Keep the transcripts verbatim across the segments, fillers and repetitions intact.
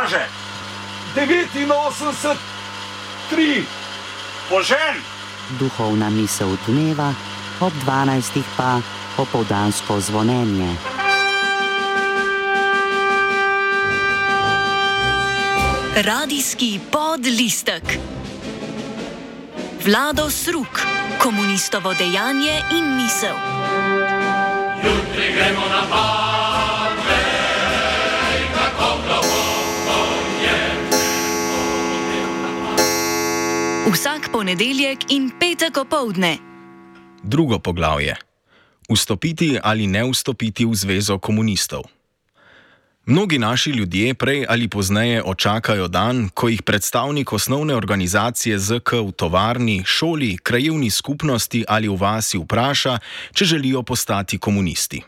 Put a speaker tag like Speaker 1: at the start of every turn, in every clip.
Speaker 1: kaže?
Speaker 2: devetinosemdeset tri.
Speaker 1: Požen!
Speaker 3: Duhovna misel dneva, ob dvanajstih pa popoldansko zvonjenje.
Speaker 4: Radijski podlistek. Vlado Sruk, komunistovo dejanje in misel.
Speaker 5: Jutri gremo na Pave, kako globoko je.
Speaker 4: Vsak ponedeljek in petek opoldne.
Speaker 6: Drugo poglavje. Vstopiti ali ne vstopiti v zvezo komunistov. Mnogi naši ljudje prej ali pozneje očakajo dan, ko jih predstavnik osnovne organizacije Z K v tovarni, šoli, krajevni skupnosti ali v vasi vpraša, če želijo postati komunisti.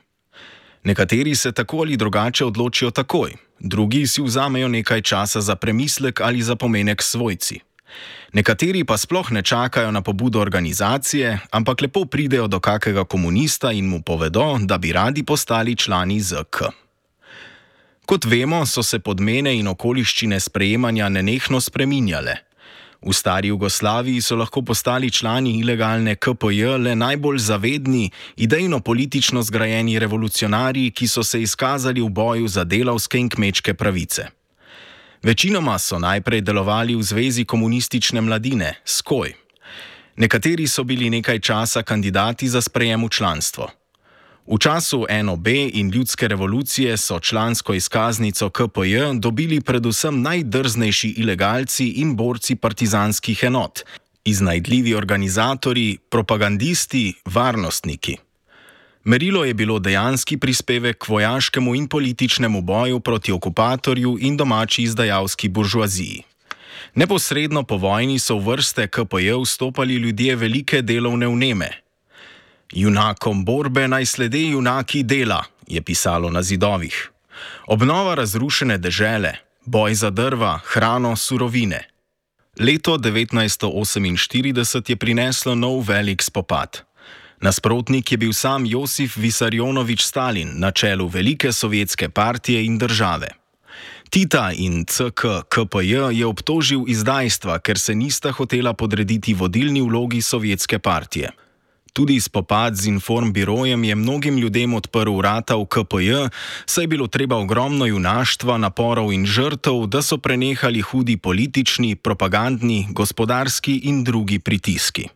Speaker 6: Nekateri se tako ali drugače odločijo takoj, drugi si vzamejo nekaj časa za premislek ali za pomenek s svojci. Nekateri pa sploh ne čakajo na pobudo organizacije, ampak lepo pridejo do kakega komunista in mu povedo, da bi radi postali člani Z K. Kot vemo, so se podmene in okoliščine sprejemanja nenehno spreminjale. V stari Jugoslaviji so lahko postali člani ilegalne K P J le najbolj zavedni, idejno-politično zgrajeni revolucionarji, ki so se izkazali v boju za delavske in kmečke pravice. Večinoma so najprej delovali v Zvezi komunistične mladine, S K O J. Nekateri so bili nekaj časa kandidati za sprejem v članstvo. V času N O B in ljudske revolucije so člansko izkaznico K P J dobili predvsem najdrznejši ilegalci in borci partizanskih enot, iznajdljivi organizatorji, propagandisti, varnostniki. Merilo je bilo dejanski prispevek k vojaškemu in političnemu boju proti okupatorju in domači izdajalski buržoaziji. Neposredno po vojni so v vrste K P J vstopali ljudje velike delovne vneme. Junakom borbe naj slede junaki dela, je pisalo na zidovih. Obnova razrušene dežele, boj za drva, hrano, surovine. Leto devetnajststo oseminštirideset je prineslo nov velik spopad. Nasprotnik je bil sam Josif Visarionovič Stalin na čelu velike sovjetske partije in države. Tita in C K K P J je obtožil izdajstva, ker se nista hotela podrediti vodilni vlogi sovjetske partije. Tudi spopad z informbirojem je mnogim ljudem odprl vrata v K P J, saj je bilo treba ogromno junaštva, naporov in žrtev, da so prenehali hudi politični, propagandni, gospodarski in drugi pritiski.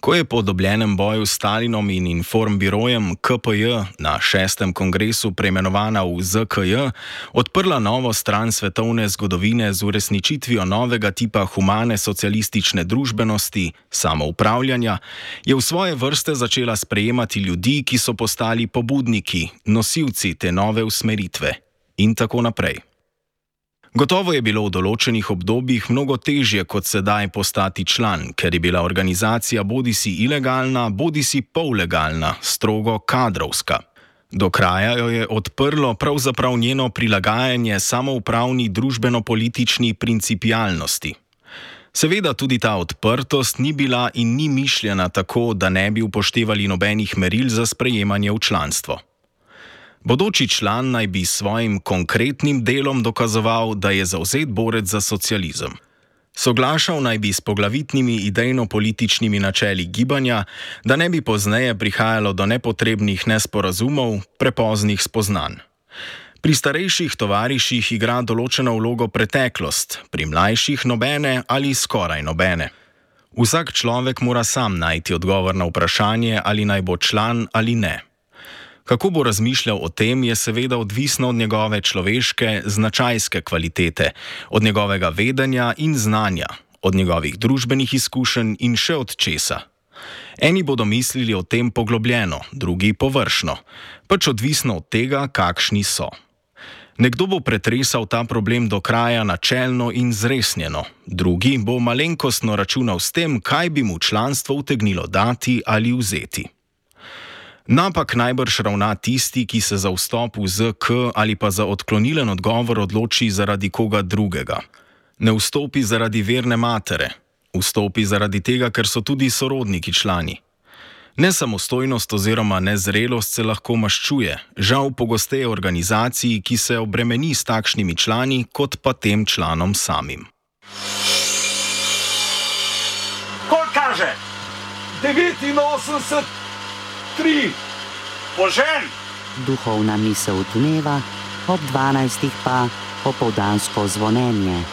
Speaker 6: Ko je po dobljenem boju s Stalinom in informbirojem K P J na šestem kongresu preimenovana v Z K J, odprla novo stran svetovne zgodovine z uresničitvijo novega tipa humane socialistične družbenosti, samoupravljanja, je v svoje vrste začela sprejemati ljudi, ki so postali pobudniki, nosilci te nove usmeritve in tako naprej. Gotovo je bilo v določenih obdobjih mnogo težje kot sedaj postati član, ker je bila organizacija bodisi ilegalna, bodisi pollegalna, strogo kadrovska. Do kraja jo je odprlo pravzaprav njeno prilagajanje samoupravni družbeno-politični principialnosti. Seveda tudi ta odprtost ni bila in ni mišljena tako, da ne bi upoštevali nobenih meril za sprejemanje v članstvo. Bodoči član naj bi s svojim konkretnim delom dokazoval, da je zavzet borec za socializem. Soglašal naj bi s poglavitnimi idejno-političnimi načeli gibanja, da ne bi pozneje prihajalo do nepotrebnih nesporazumov, prepoznih spoznanj. Pri starejših tovariših igra določeno vlogo preteklost, pri mlajših nobene ali skoraj nobene. Vsak človek mora sam najti odgovor na vprašanje, ali naj bo član ali ne. Kako bo razmišljal o tem, je seveda odvisno od njegove človeške, značajske kvalitete, od njegovega vedenja in znanja, od njegovih družbenih izkušenj in še od česa. Eni bodo mislili o tem poglobljeno, drugi površno, pač odvisno od tega, kakšni so. Nekdo bo pretresal ta problem do kraja načelno in zresnjeno, drugi bo malenkostno računal s tem, kaj bi mu članstvo utegnilo dati ali vzeti. Napak najbrž ravna tisti, ki se za vstop v Z K ali pa za odklonilen odgovor odloči zaradi koga drugega. Ne vstopi zaradi verne matere, vstopi zaradi tega, ker so tudi sorodniki člani. Nesamostojnost oziroma nezrelost se lahko maščuje, žal pogosteje organizaciji, ki se obremeni s takšnimi člani, kot pa tem članom samim.
Speaker 1: Koliko kaže? devetinosemdeset tri. Požen!
Speaker 3: Duhovna misel dneva, ob dvanajstih pa popoldansko zvonjenje.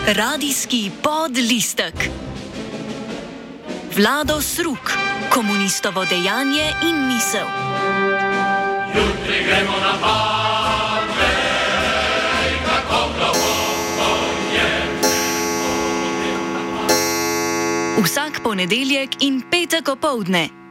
Speaker 4: Radijski podlistek. Vlado Sruk, komunistovo dejanje in misel.
Speaker 5: Jutri gremo na Badvej, kako globoko je.
Speaker 4: Vsak ponedeljek in petek opoldne.